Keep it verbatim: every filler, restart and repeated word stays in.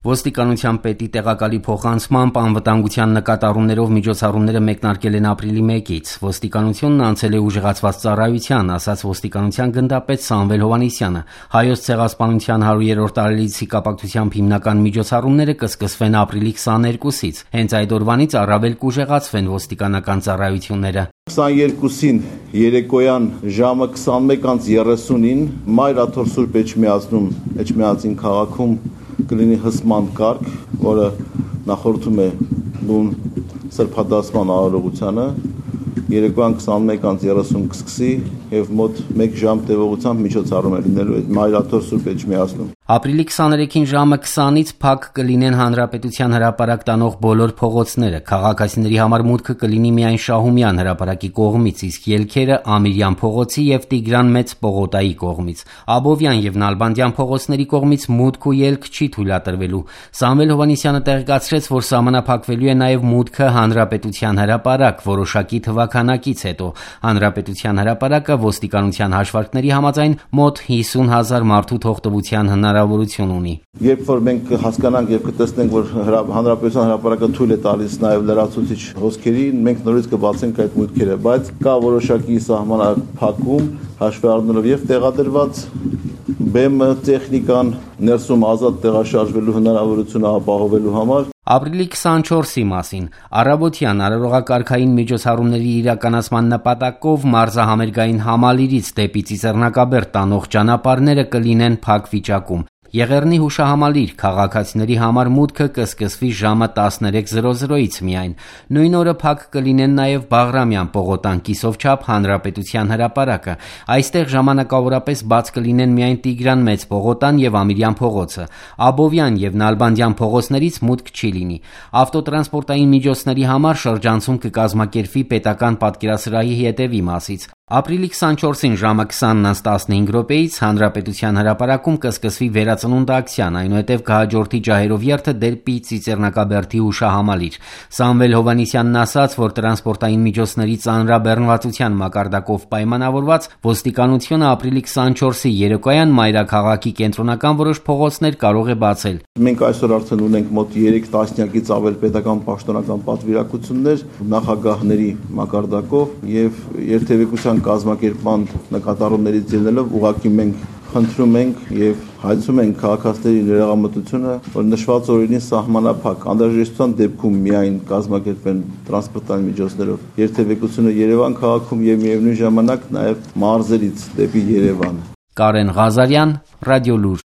Ոստիկանության պետի տեղակալի փոխանցմամբ անվտանգության նկատառումներով միջոցառումները մեկնարկել են ապրիլի մեկից։ Ոստիկանությունն անցել է ուժեղացված ծառայության, ասաց ոստիկանության գնդապետ Սամվել Հովհաննիսյանը։ Հայոց ցեղասպանության հարյուրերորդ տարելիցի կապակցությամբ հիմնական միջոցառումները կսկսվեն ապրիլի քսաներկուսից։ Հենց այդ օրվանից առավել կուժեղացվեն ոստիկանական ծառայությունները։ քսաներկուսին երեկոյան ժամը քսանմեկ երեսունին Մայր Աթոռ Սուրբ Էջմիածնում Էջմիածին քաղաքում կլինի հսման կարգ, որը նախորդում է բուն սրբադասման արարողությանը, երեկոյան քսանմեկ երեսուն կսկսի եւ մոտ մեկ ժամ տևողությամբ միջոցառում է լինելու Մայր Աթոռ Սուրբ Էջմիածնում։ Ապրիլի քսաներեքին ժամը քսանից փակ կլինեն Հանրապետության հրապարակ տանող բոլոր փողոցները։ Քաղաքացիների համար մուտքը կլինի միայն Շահումյան հրապարակի կողմից, իսկ ելքերը Ամիրյան փողոցի եւ Տիգրան Մեծ պողոտայի կողմից։ Աբովյան եւ Նալբանդյան փողոցների կողմից մուտք ու ելք չի թույլատրվելու։ Սամվել Հովհաննիսյանը տեղեկացրեց, որ սահմանափակվելու է նաեւ մուտքը Հանրապետության հրապարակ որոշակի թվականակից հետո։ Հանրապետության հրապարակը ոստիկանության հաշվարկների համաձայն մոտ հիսուն հազար մարդու թողտվության հնարավորություն ունի։ Երբ որ մենք հասկանանք եւ կտեսնենք, որ Հանրապետության հրապարակը թույլ է տալիս նաեւ լրացուցիչ հոսքերին, մենք նորից կբացենք այդ մուտքերը, բայց կա որոշակի սահմանափակում հաշվի առնելով եւ տեղադրված բեմը, տեխնիկան ներսում ազատ տեղաշարժվելու հնարավորությունը ապահովելու համար։ Ապրիլի քսանչորսի մասին առավոտյան արարողակարգային միջոցառումների իրականացման նպատակով մարզահամերգային Համալիրից դեպի Ծիծեռնակաբերդ տանող ճանապարհները կլինեն փակ վիճակում։ Եղեռնի հուշահամալիր քաղաքացիների համար մուտքը կսկսվի ժամը տասներեք միայն։ Նույն օրը փակ կլինեն նաև Բաղրամյան պողոտան կիսովչափ Հանրապետության հրապարակը։ Այստեղ ժամանակավորապես բաց կլինեն միայն Տիգրան Մեծ պողոտան եւ Ամիրյան փողոցը։ Աբովյան եւ Նալբանդյան փողոցներից մուտք չի լինի։ Ավտոտրանսպորտային միջոցների համար շրջանցում կկազմակերպվի պետական պատկերասրահի հետևի մասից։ Ապրիլի քսանչորսին ժամը քսանն անց տասնհինգ րոպեից Հանրապետության հրապարակում կսկսվի վերածնունդ ակցիան, այնուհետև կհաջորդի ջահերով երթը դեպի Ծիծեռնակաբերդի հուշահամալիր։ Սամվել Հովհաննիսյանն ասաց, որ տրանսպորտային միջոցների ծանրաբեռնվածության մակարդակով պայմանավորված ոստիկանությունը ապրիլի քսանչորսի երեկոյան մայրաքաղաքի կենտրոնական որոշ փողոցներ կարող է բացել։ Մենք այսօր արդեն ունենք մոտ երեք տասնյակից ավել պետական պաշտոնական պատվիրակություններ նախագահների մակարդակով եւ երթևեկության կազմակերպման նկատառումներից ելնելով ուղղակի մենք խնդրում ենք եւ հայցում ենք քաղաքացիների ներողամտությունը, որ նշված օրերին սահմանափակ անհրաժեշտության դեպքում միայն կազմակերպեն տրանսպորտային միջոցներով երթևեկությունը Երևան քաղաքում եւ միևնույն ժամանակ նաեւ մարզերից դեպի Երևան։ Կարեն Ղազարյան, Ռադիոլուր։